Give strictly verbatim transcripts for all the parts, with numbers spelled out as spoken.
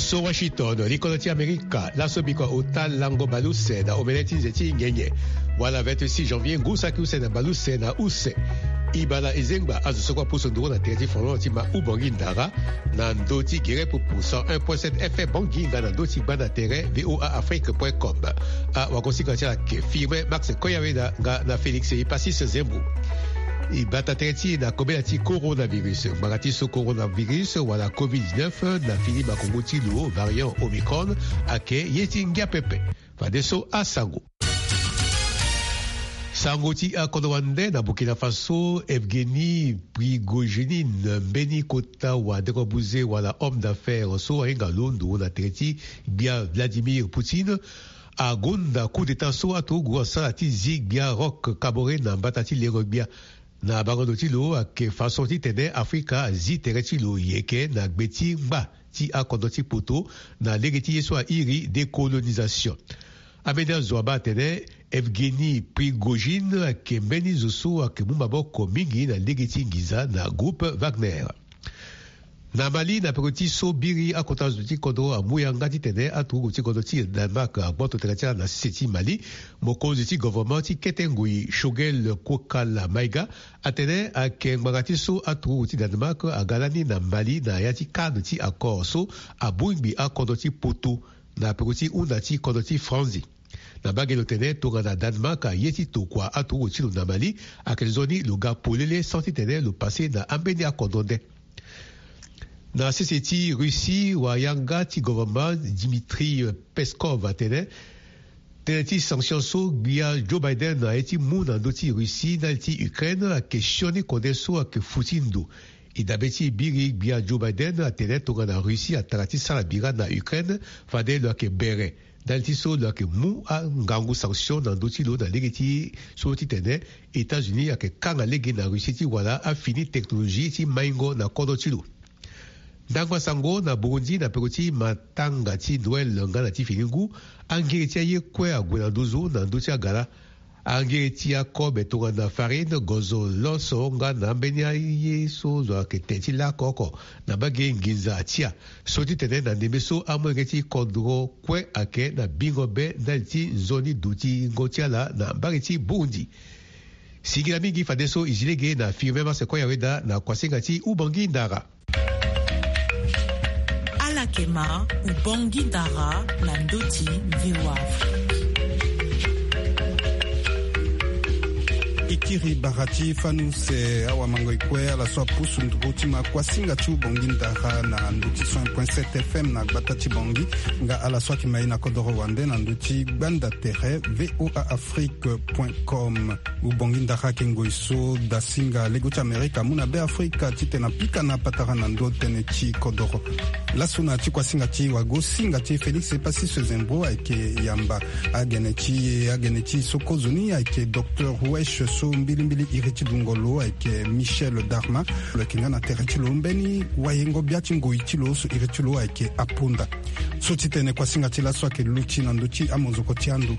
So Washington, likodro ti Amerika, laso bikua ota lango baleuse na omene ti nze ti nyenye. Wala vingt-six janvier, ngu saki use na baleuse na use. Ibala ezengba azo so kue apusu nduru na tere ti folon ti ma Ubongi Ndara, na ndö ti gere pupu cent un point sept F M Bangui nga na ndö ti gbanda tere V O A Afrique point com. A wagosinga ti ala ke firme Max Koyaweda nga na Félix Epassis Zembo. E bata tere ti e na kobela ti coronavirus. Ngbanga ti so coronavirus wala covid dix-neuf na fini makongo ti lo, variant Omicron, ayeke ye ti ngia pepe. Fadeso asango. Sango ti akodro wande na Burkina Faso, Evgeny Prigogine, mbeni kota wa dengo buze wala homme d'affaires so ahinga londo na tere ti gbia Vladimir Poutine, agonda coup d'État so aturugu asara ti zi gbia Roch Kaboré na mbata ti lengo gbia. Na bango ndo ti lo ayeke façon titene Afrika azi tere ti lo yeke na gbe ti ngba ti akodro ti poto na lege ti ye so airi décolonisation. Ambeni azo abaa atene Evgeny Prigogine ayeke mbeni zo so ayeke mu maboko mingi na lege ti nginza na groupe Wagner. Na Mali, na peko ti so biri akota zo ti kodro amu yanga titene aturugu ti kodro ti Danemark agboto tënë ti ala na sese ti Mali. Mokonzi ti gouvernement ti kete ngoi, Choguel Kokala Maïga, atene ayeke ngbanga ti so aturugu ti Danemark aga lani na Mali na ya ti cadre ti accord so abongbi akodro ti poto na peko ti hunda ti kodro ti Franzi. Na mbage lo tene tongana Danemark aye ti tokua aturugu ti lo na Mali, ayeke nzoni lo ga polele sans titene lo pase na ambeni akodro nde. Na sese ti Russie, wayanga ti gouvernement Dmitri Peskov atene tënë ti sanction so gbia Joe Biden aye ti mu na ndö ti Russie ndali ti Ukraine ayeke sioni kode so ayeke fu ti ndo. E dabe ti biri gbia Joe Biden atene tongana Russie atara ti sara bira na Ukraine, fade lo yeke bere ndali ti so lo yeke mu angangu sanction na ndö ti lo na lege ti so titene États-Unis ayeke kanga lege na Russie ti wara afini technologie ti maingo na kodro ti lo. Ndangba sango na Burundi, na peko ti matanga ti Noël nga na ti fini ngu, angiri ti aye kue ague na nduzu na ndö ti agara. Angiri ti akobe tongana farine, gozo, loso nga na ambeni aye so zo ayeke tene ti lako oko na mbage nginza atia. So titene na ndembe so amolenge ti kodro kue ayeke na bingo be ndali ti nzoni dutingo ti ala na mbage ti Burundi. Singila mingi fadeso e zi lege na Firmin Marcel Koyaweda na kuasinga ti Ubongi Ndara. Ala yeke ma Ubongi Ndara na ndö ti V O A Afrique. E kiri bara ti fani use awamango e kue ala so apusu nduru ti ma kuasinga ti Ubongi Ndara na ndö ti cent un point sept F M na gbata ti Bangui, nga ala so ayeke ma e na kodoro wande na ndö ti gbanda tere V O A Afrique point com. Ubongi Ndara ayeke ngoi so dasinga lego ti Amerika amu na Beafrika titene apika na patara na ndö tënë ti kodoro. Laso na ti kuasinga ti wagosinga ti e Félix Epassis Zembo ayeke yamba agene ti e, agene ti e so kozoni ayeke Docteur Wesh so mbilimbili iri ti dungo lo ayeke Michel Darma. Lo yeke nga na tere ti lo mbeni wayengo bia ti ngoi ti lo so iri ti lo ayeke Aponda. So ti tene kuasinga ti laso ayeke luti na ndö ti amozoko ti ando.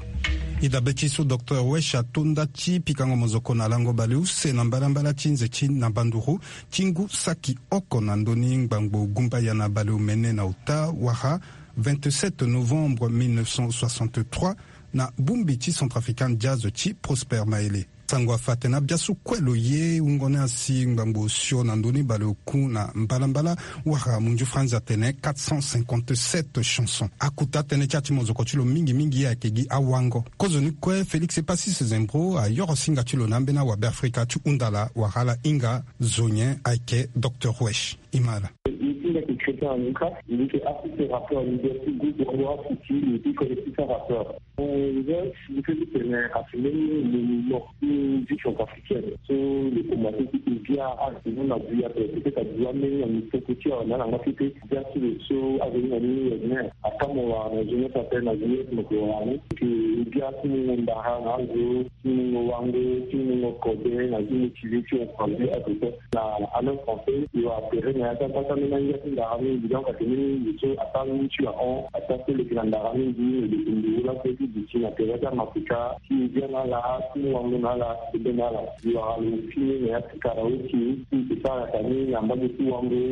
E dabe ti so Docteur Wesh ato nda ti pikango mozoko na lango baleuse na mbalambala ti nze ti na banduru ti ngu saki oko na ndö ni ngbangbo gumbaya na baleomene na ota wara vingt-sept novembre mille neuf cent soixante-trois na bongbi ti centrafricain Diaz ti Prosper Maele. Sango afa atene abia so kue lo ye wungo ni asi ngbangbo osio na ndö ni baleoku na mbalambala wara munzu franzi atene quatre cent cinquante-sept chansons. Akuta tënë ti ya ti mozoko ti lo mingi mingi ayeke gi awango. Kozoni kue Félix Epassis Zembo ayoro singa ti lo na ambeni awabe Afrika ti hunda ala wara ala hinga zo nyen ayeke Docteur Wesh. E ma ala. Ye ti mbi ayeke Christian Anuka, mbi yeke assistant rappeur leader ti groupe Wango Afrique, mbi yeke collectif rappeur. Nzoni mbi feni tene asi mbeni monument ti musique centrafricaine so lo komanse ti ke bia asi mbeni na bia pe peut-être adu ambeni na mosoko ti awe na ala ngba kete. Bia ti lo so azo ni na ni ni akamua wara na jeunesse ape na jeunesse mo ke wara ni. Ke bia ti mungo ndara na azo, ti mungo wango, ti mungo kode na ti motiver ti encourager azo kue. Na Alliance française e wara tere na ya ti agbata mbeni angia ti ndara mingi, donc ayeke mbeni ngu so asara mingi ti ahon, asara so leke na ndara mingi, e leke nduru laso ti duti na tere ti amafrika ti e bia na ala, ti mu wango na ala, ti bia na ala. E wara lo fini na ya ti karaoke ti e sara yaka ni na mbage ti wango.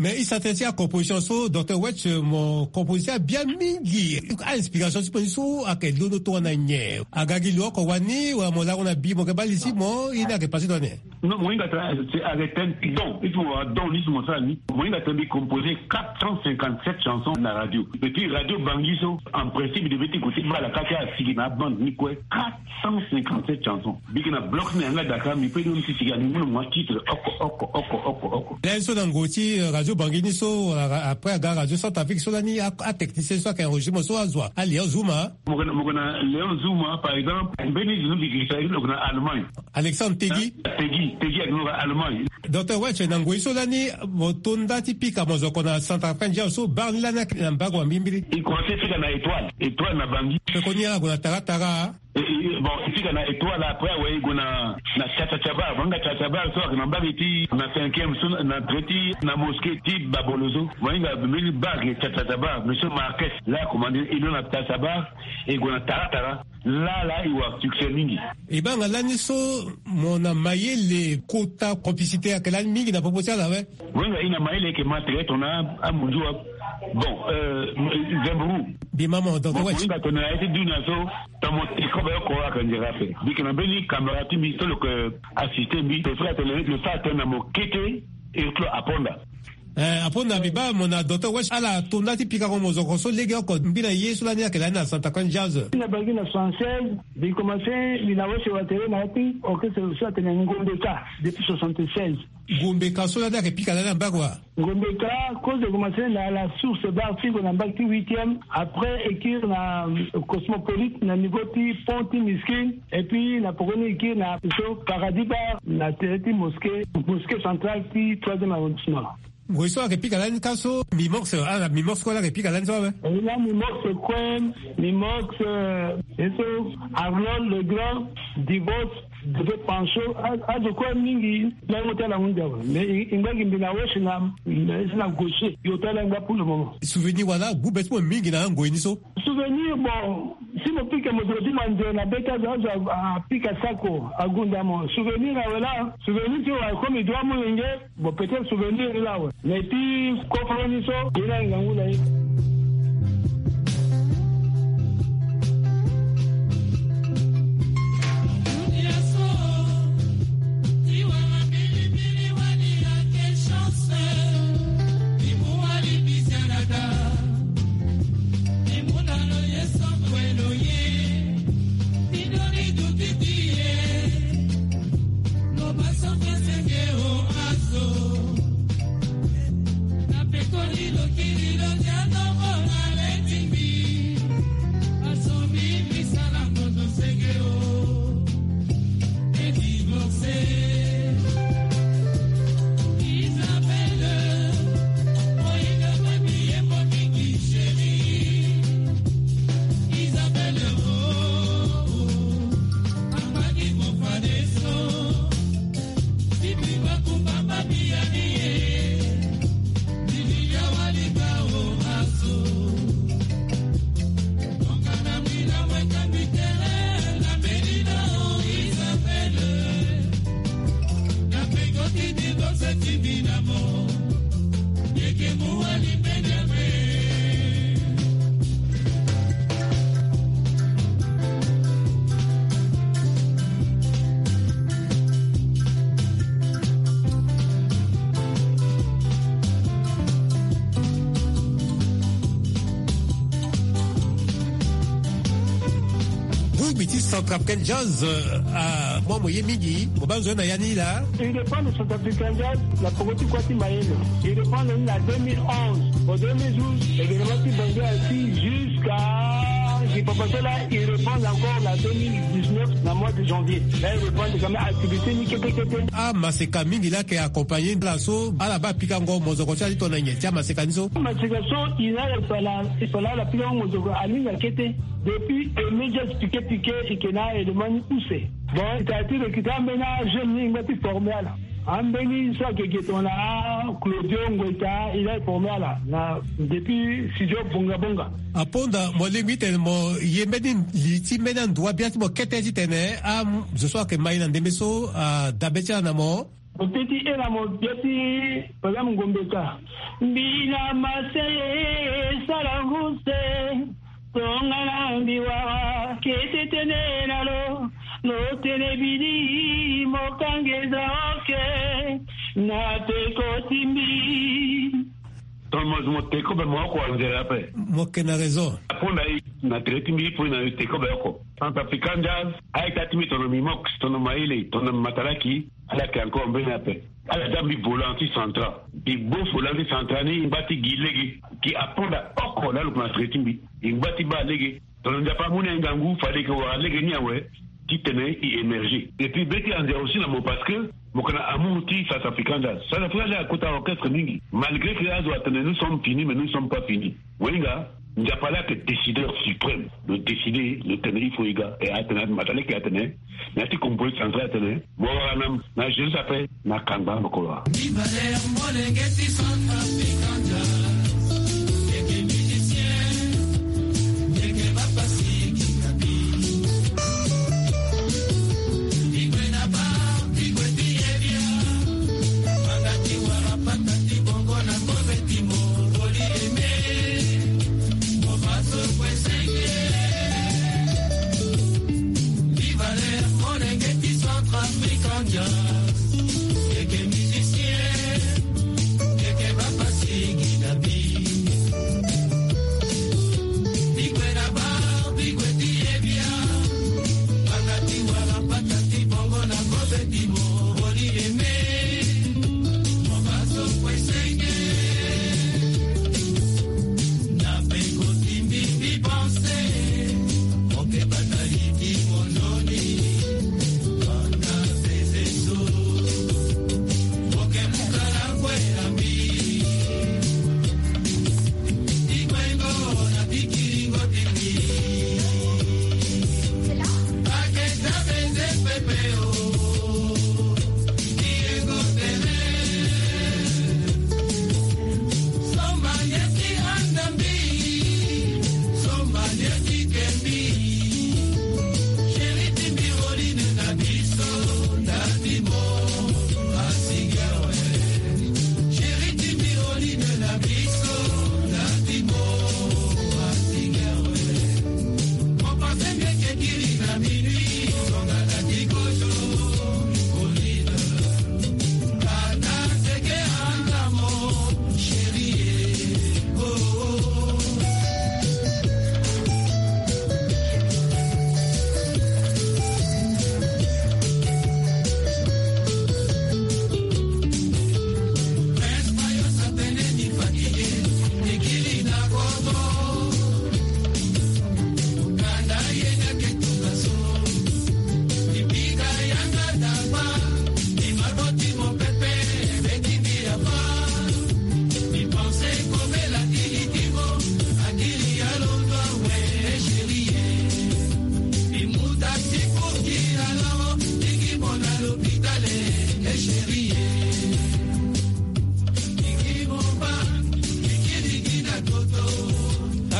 Mais i sa tënë ti acomposition so docteur Wetch mo composé abia mingi. A-inspiration ti mo ni so ayeke londo tongana nyen? Aga gi lo oko wani wala mo lango na bi mo yeke baa li ti mo ye ni ayeke passé tongana nyen? Non, mo hinga tena, c'est avec un don. Il faut avoir don ni si mo sara ni. Mo hinga tena mbi composer quatre cent cinquante-sept chansons na radio. Et puis radio Bangui so, en principe, il devait écouter bala kaka asigi na bande ni kue. Quatre cent cinquante-sept chansons. Biki na bloc ni yanga daka, mbi pe don ni ti sigi ani muna mwa titre oko oko oko oko oko. Lani so na ngoi ti, euh, radio Bangui ni so, euh, après aga radio Centrafrique so lani a, a technicien so ayeke enregistré mo so azo a Léon Zouma. Mo yeke na, mo yeke na Léon Zouma, par exemple, mbeni zo ni mbi girisa lo yeke na Allemagne. Alexandre Tegui. Tegui, Tegui ayeke na Allemagne. Docteur Wetch, na ngoi so lani mo to nda ti pika mozoko na Centrafricain Jazz so, bar ni lani ayeke na mbago wa mbilimbili. E commencé pika na Étoile, Étoile na Bangui. Pekoni ala gue na Tara Tara. E, e, bon, e pika na Étoile, après awe e gue na, na Cha Cha Cha Bar. Banga Cha Cha Bar so ayeke na mbage ti na cinquième so na, na trait ti na mosquée ti Babolo so. Mo hinga mbeni bar ayeke Cha Cha Cha Bar. Monsieur Marquez laa akomandé e lo na Cha Cha Bar, e gue na Tara Tara. Laa laa e wara succès mingi. E baa nga lani so mo na mayele kota complicité ayeke lani mingi na popo ti ala awe. Wenga e na mayele ayeke ma tere tongana amunzu wa. Bon, euh, Zemburu. Mbi ma mo docteur Wetch. Mo hinga tongana na ye ti dunia so, tongana mo teke kobe oko ayeke nzere ape. Mbi yeke na mbeni camarade ti mbi so lo yeke assisté mbi. Lo so atene, lo so atene na mo kete, e klo aponda. Eh, apo na mbi baa mo na docteur Wetch, ala to nda ti pikango mozoko so legeoko ngbi na ye so lani ayeke lani na Centrafricain Jazz. Na Bangui na soixante-seize, mbi commencé, mbi na Wetch Watele na ya ti orchestre so atene Ngombe Ka depuis soixante-seize. Ngombe Ka so lani ayeke pika lani na mbage wa? Ngombe Ka, kozo e commencé na la Source Bar ti gue na mbage ti huitième, après e kiri na, euh, Cosmopolite na niveau ti pont ti Miskine, et puis na pokoni e kiri na so Paradis Bar na tere ti mosquée, mosquée centrale ti troisième arrondissement. Ngoi so ayeke pika lani ka so, Mimox, ala Mimox kue laa ayeke pika lani so awe. E laa Mimox kue, Mimox, euh, e so Arnold Legrand, Divorce, Deve Pancho, a, azo kue mingi, lango ti ala hunzi awe. Mais e, e ngba gi mbi na Wetch na, na, na gaucher, e ota ala ngba pour le moment. Souvenir wala, gbu be ti mo mingi na angoi ni so? Souvenir, bon, si mo pika mozoko ti mo anze na be ti azo, azo a, apika sako, agunda mo. Souvenir awe laa, souvenir ti wa comme e doit molenge, bon, peut-être souvenir ni laa awe. Mais ti koforo ni so, ye laa ngangu na ye. Groupe ti Centrafricain Jazz, euh, ah, moi, mo ye mingi, mo baa nzoni na ya ni laa. Il dépend de Centrafricain Jazz, na poko ti kua ti mayele. Il dépend de la deux mille onze. Au deux mille douze, événement ti Bangui assis jusqu'à Kipapatola, il reprend encore la deux mille dix-neuf, na mois de janvier. Là, il reprend quand même activité ni kete kete. Amaseka mingi laa ayeke accompagné ala so ala baa pikango mozoko ti ala ti tongana nyen ti amaseka ni so? Amaseka so, il a, il fallait, il fallait ala pikango mozoko, alinga kete. Depuis, e media ti pike pike, e yeke na élément ni use. Bon, e tara ti recruter ambeni ajeune ni ngba ti former ala. Ambeni so ayeke ge tongana a Claudio Ngoita, il a formé ala na depuis studio Bonga Bonga. Aponda, mo lingbi tene mo ye mbeni li ti mbeni andua bia ti mo kete titene azo so ayeke ma e na ndembe so adabe ti ala na mo. Oteti ela mo biati. Pala mngombe ka. Mbila masele sala nguse. Tongana mbi wara kete tene na lo. Lo tene bidi mo kangeza oke. Na peko timbi. Ton mo mo teko be mo oko anzela pe. Mo ke na raison. Aponda i na tere timbi i po i na teko be oko. Centrafrican Jazz. Aye ka timbi tono mi mox, tono maile, tono matalaki. Ala ke encore mbeni ape. Ala da mbi volant ti central. Mbi bo volant ti central ni, i ngba ti gi lege. Gi aponda oko na lo na tere ti mbi. I ngba ti ba lege. Tongana Nzapa amu na e ngangu, fade e ke wara lege ni awe. Ti tene i émerger. Et puis be ti anzere aussi na mo parce que mo ke na amour ti Centrafrican Jazz. Centrafrican Jazz akota orchestre mingi. Malgré que azo atene nous sommes finis, mais nous sommes pas finis. Mo hinga, Nzapa laa ayeke décideur suprême. Lo décider, lo tene il faut e ga. E atene, mataleke atene, na ya ti composé central atene, mo wara na, na Jésus ape, na kangba mo ko wara. Viva l'air, molenge ti Centrafrican Jazz. Yeke musicien, yeke bapasi, yeke kabi. Bigwe na ba, bigwe ti ebia. Banga ti wara pata ti bongo na kobe ti mo, oli eme. Viva l'air, molenge ti Centrafrican Jazz. Yeke musicien, yeke bapasi gi na bi. Bigwe na ba, bigwe ti ebia. Banga ti wara pata ti bongo na kobe ti mo, oli eme.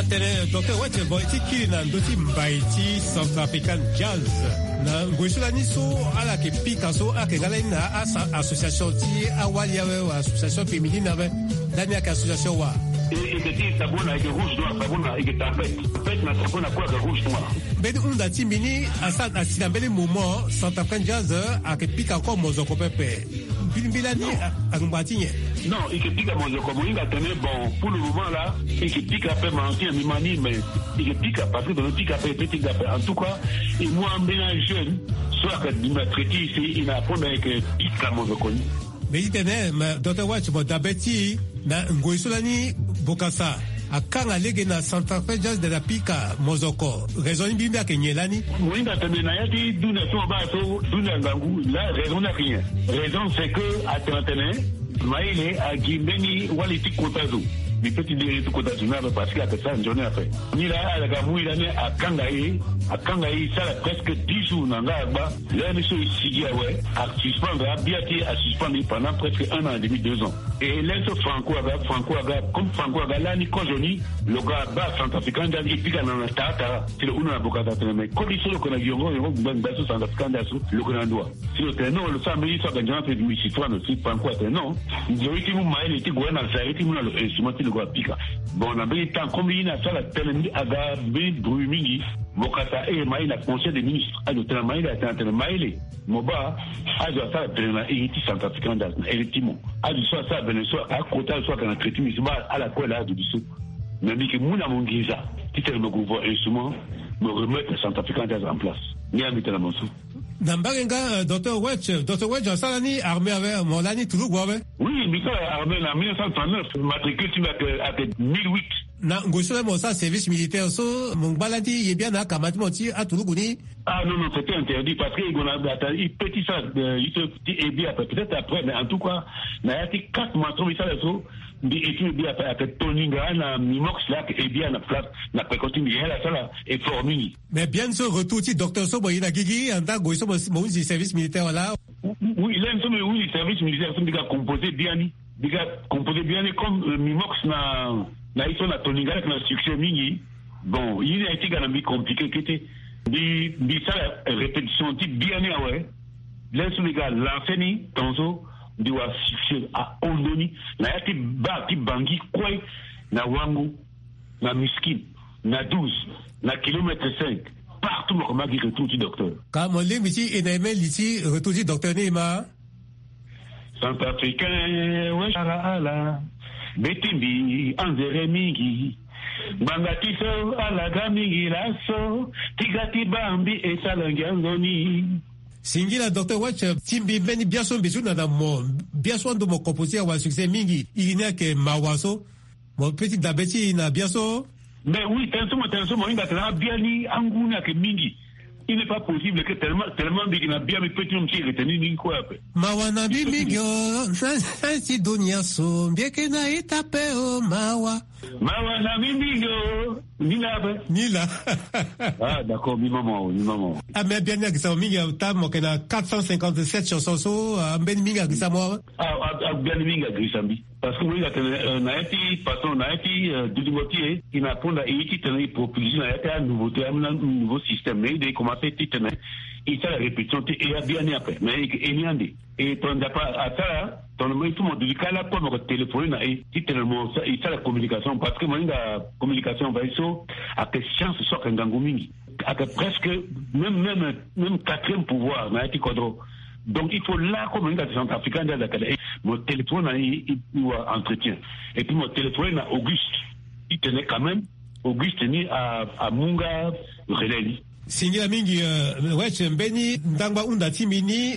Atene docteur Wete, bon, e ti kiri na ndö ti mbai ti Centrafrican Jazz. Na ngoi so lani so ala yeke pika so, ala yeke nga lani na a, association ti awali awe, association féminine awe. Lani ayeke association wa? E, e yeke ti sabona, e yeke rouge noir, sabona, e yeke tempête. Tempête na sabona kue ayeke rouge noir. Mbeni hunda ti mbi ni asara asi na mbeni moment Centrafrican Jazz ayeke pika encore mozoko pepe. Mbi, mbi lani a, angba ti nyen? Non, e yeke pika mozoko, mo hinga tene, bon, pour le moment là, e yeke pika ape, ma ancien mi ma ni, mais e yeke pika parce que tongana e pika ape, e peut ti ga ape. En tout cas, e mu ambeni ajeune so ayeke dunia traité ici, e na apo na e yeke pika mozoko ni. Mbi ti tene, ma docteur Watch, mo dabe ti e na ngoi so lani bokasa akanga lege na Centrafrique Jazz de la pika mozoko. Raison ni mbi mbi ayeke nyen lani? Mo hinga tene na ya ti dunia so mo baa so dunia ngangu la, raison ni ayeke nyen? Raison c'est que atene atene Maïle agi mbeni wali ti kota zo. Mbi peut ti diri ti kota zo ni ape parce que ayeke sara nzoni ape. Ni laa ala ga mu e lani akanga e, akanga e sara presque dix jours na nga agba. L'heure ni so e sigi awe, asuspendre abia ti e, asuspendre e pendant presque un an et demi, deux ans. E lê so Franco aga, Franco aga, comme Franco aga lani kozo ni, lo ga baa Centrafricain Jazz e pika na lo na tara tara. Si lo hunda na bokata atene me koli so lo yeke na yongo yongo ngbe ngbe so Centrafricain Jazz so lo yeke na ndo wa? Si lo tene non, lo sara mbeni so aga nzoni ape mbi si toi na lo. Si Franco atene non, nzoni ti mu mayele ti gue na zari ti mu na lo instrument ti lo gue apika. Bon, na mbeni temps comme ye ni asara tënë aga mbeni bruit mingi, bokata e ma ye na Conseil des ministres, azo tene na mayele, atene atene mayele. Mo baa, azo asara tënë na iri ti Centrafricain Jazz na iri ti mo. Azo so asara bene so akota azo so ayeke na traité mbi so baa ala kue laa azo bi so. Mais mbi yeke mu na mo nginza titene mo gue voir instrument, mo remettre Centrafricain Jazz en place. Ni ya mbi tene na mo so. Na mbage nga, euh, Docteur Wetch, Docteur Wetch asara ni armée awe, mo lani turugu awe? Oui, mbi sara armée na mille neuf cent trente-neuf, matricule ti mbi ayeke, ayeke mille huit. Na ngoi so laa mo sara service militaire so, mo ngba lani ti ye biani na akama ti mo ti aturugu ni? Ah non, non, c'était interdit parce que e gue na ata e pe ti sara, euh, juste ti e biani ape, peut-être après, mais en tout cas na ya ti quatre mois so mbi sara so, mbi e ti mbi biani ape, ayeke Toninga na Mimox laa ayeke e biani na place na peko ti mbi, ye ala sara effort mingi. Mais biani so retour ti docteur so mo ye na gigi, anda ngoi so mo, mo hunzi service militaire wala? Oui, lani so mbi hunzi service militaire so mbi ga composer biani. Mbi ga composer biani comme, euh, Mimox na, na ye so na Toninga ayeke na succès mingi. Bon, ye ni aye ti ga na mbi compliqué kete. Mbi, mbi sara répétition ti biani awe. Lani so mbi ga lancer ni, tongaso mbi wara succès ahon ndoni na ya ti bar ti Bangui kue, na Wango, na Miskine, na douze, na kilomètre cinq, partout mo yeke ma gi retour ti docteur. Ka mo lingbi ti e na e même li ti retour ti docteur ni e ma? Centrafricain, we sara ala, be ti mbi anzere mingi. Ngbanga ti so ala ga mingi laso, ti ga ti baa mbi e sara ngia nzoni. Singila docteur Wetch, ti mbi mbeni biaso mbi ti hunda na mo, biaso ando mo composer awara succès mingi, iri ni ayeke Mawa so. Mo pe ti dabe ti e na biaso. Mais oui, tënë so mo tene so mo hinga tene abiani angu ni ayeke mingi. Il n'est pas possible que tellement, tellement mbi yeke na bia mbi pe ti mo ti yeke tene ni kue ape. Mawa na mbi mingi o, na, na ti dunia so mbi yeke na ita pe o, mawa. Mawa na mbi mingi o, ni laa ape. Ni laa. Ah, d'accord, mbi ma mo, mbi ma mo. Ah, mais abiani agirisa mo mingi, ata mo yeke na quatre cent cinquante-sept chansons so, ah, mbeni mingi agirisa mo awe. Ah, ah, ah, abiani mingi agirisa mbi. Parce que mo hinga tene, euh, na ya ti façon, na ya ti, euh, dutingo ti e, e na aponda e ye titene e propulser na ya ti anouveauté, amena nouveau système. Mais e de e commencer titene e sara répétition ti e abiani ape. Mais e, e ni ande. E tongana Nzapa asara, tongana mo, il faut mo duti kâ lakue mo yeke téléphoner na e titene mo sa-, e sara communication. Parce que mo hinga communication fadeso ayeke science so ayeke ngangu mingi. Ayeke presque même, même, même quatrième pouvoir na ya ti kodro. Donc il faut laa kue mo hinga ti Centrafricain Jazz ayeke daa, mo téléphone na e, e, e wara entretien. Et puis mo téléphone na Auguste. Titene quand même Auguste ni a, amu nga relais ni. Singila mingi, euh, Wetch, mbeni ndangba hunda ti mbi ni,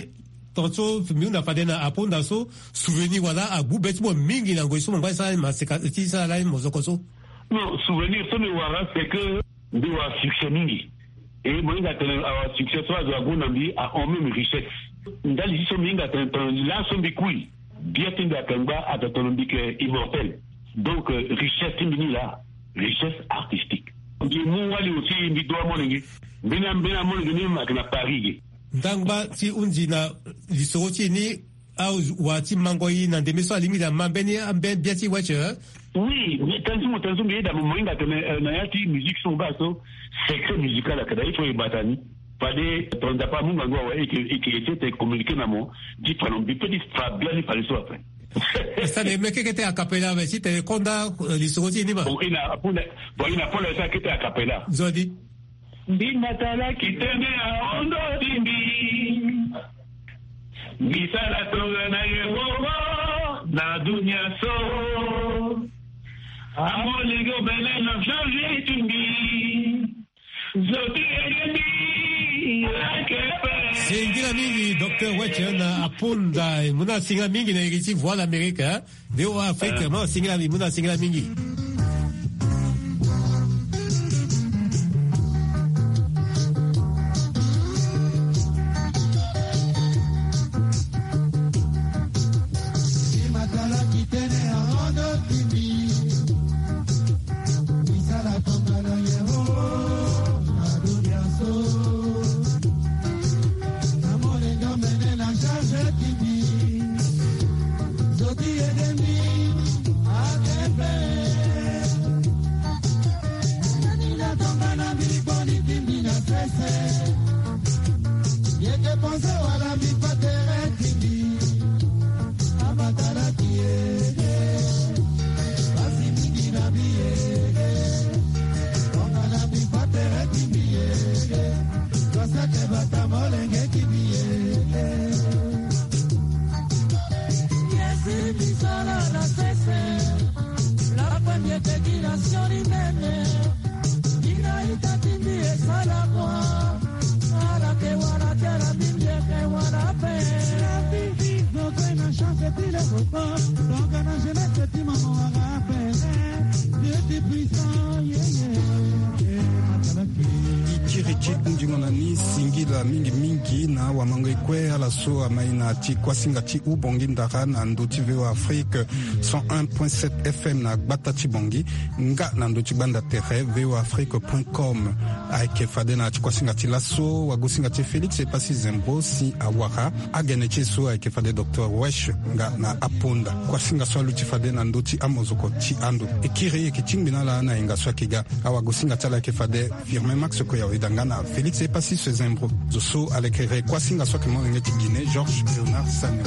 tongaso mbi hunda fade na apo hunda so, souvenir wala agbu be ti mo mingi na ngoi so mo ngba ti sara lani maseka, ti sara lani mozoko so? Non, souvenir so mbi wara, c'est que mbi wara succès mingi. E mo hinga tene awara succès so azo ague na mbi ahon même richesse. Ndali ti so mbi hinga tene tongana laso mbi kui, bia ti mbi ayeke ngba, ayeke tongana mbi yeke immortel. Donc, euh, richesse ti mbi ni laa, richesse artistique. Mbi mu wali aussi, mbi doit amolenge. Mbeni, mbeni amolenge ni même ayeke na Paris ge. Ndangba ti hunzi na lisoro ti e ni, awara ti mango e na ndembe so alingbi na ma mbeni, mbeni bia ti Wetch, eh? Oui, mais tënë so mo tene so mbi yeda mo, mo hinga tene, euh, na ya ti musique so mo baa so, secret musical ayeke daa, il faut e bata ni. Fade tongana Nzapa amu ngangu awe, e yeke, e yeke essayer ti communiquer na mo, ti fa na mo, mbi pe ti fa biani fadeso ape. E sara na e me keke ti a cappella awe, titene e konda, euh, lisoro ti e ni ma. Bon, e na aponda, bon, e na aponda e sara kete a cappella. Nzoni. Mbi matala kitene ahondo ti mbi. Mbi sara tongana Yehova na dunia so. Amolenge omene na change ti mbi. Zo ti ege mbi, ake pe. Singila mingi, Docteur Wetch na aponda, mu na singa mingi na iri ti Voix l'Amérique, hein? V O A Afrique, mo singila mingi, mo na singila mingi. Ikiriki ndingo na ni singila mingimingi na wamango ekue ala so amai na ti kuasinga ti Ubongi Ndara na ndö ti V O A Afrique cent un point sept F M na gbata ti Bongi. Nga na ndö ti gbanda tere V O A Afrique point com. Ayeke fade na ti kuasinga ti laso wagosinga ti Félix Epassi Zembro si awara agene ti e so ayeke fade Docteur Wesh nga na aponda. Kuasinga so aluti fade na ndö ti amozoko ti ando. E kiri e yeke tingbi na ala na yenga so ayeke ga. Awagosinga ti ala ayeke fade Firmin Max Koya Oyeda nga na Félix Epassi Zembro. Zo so alekere kuasinga so ayeke molenge ti Guinée, Georges Léonard Sagnon.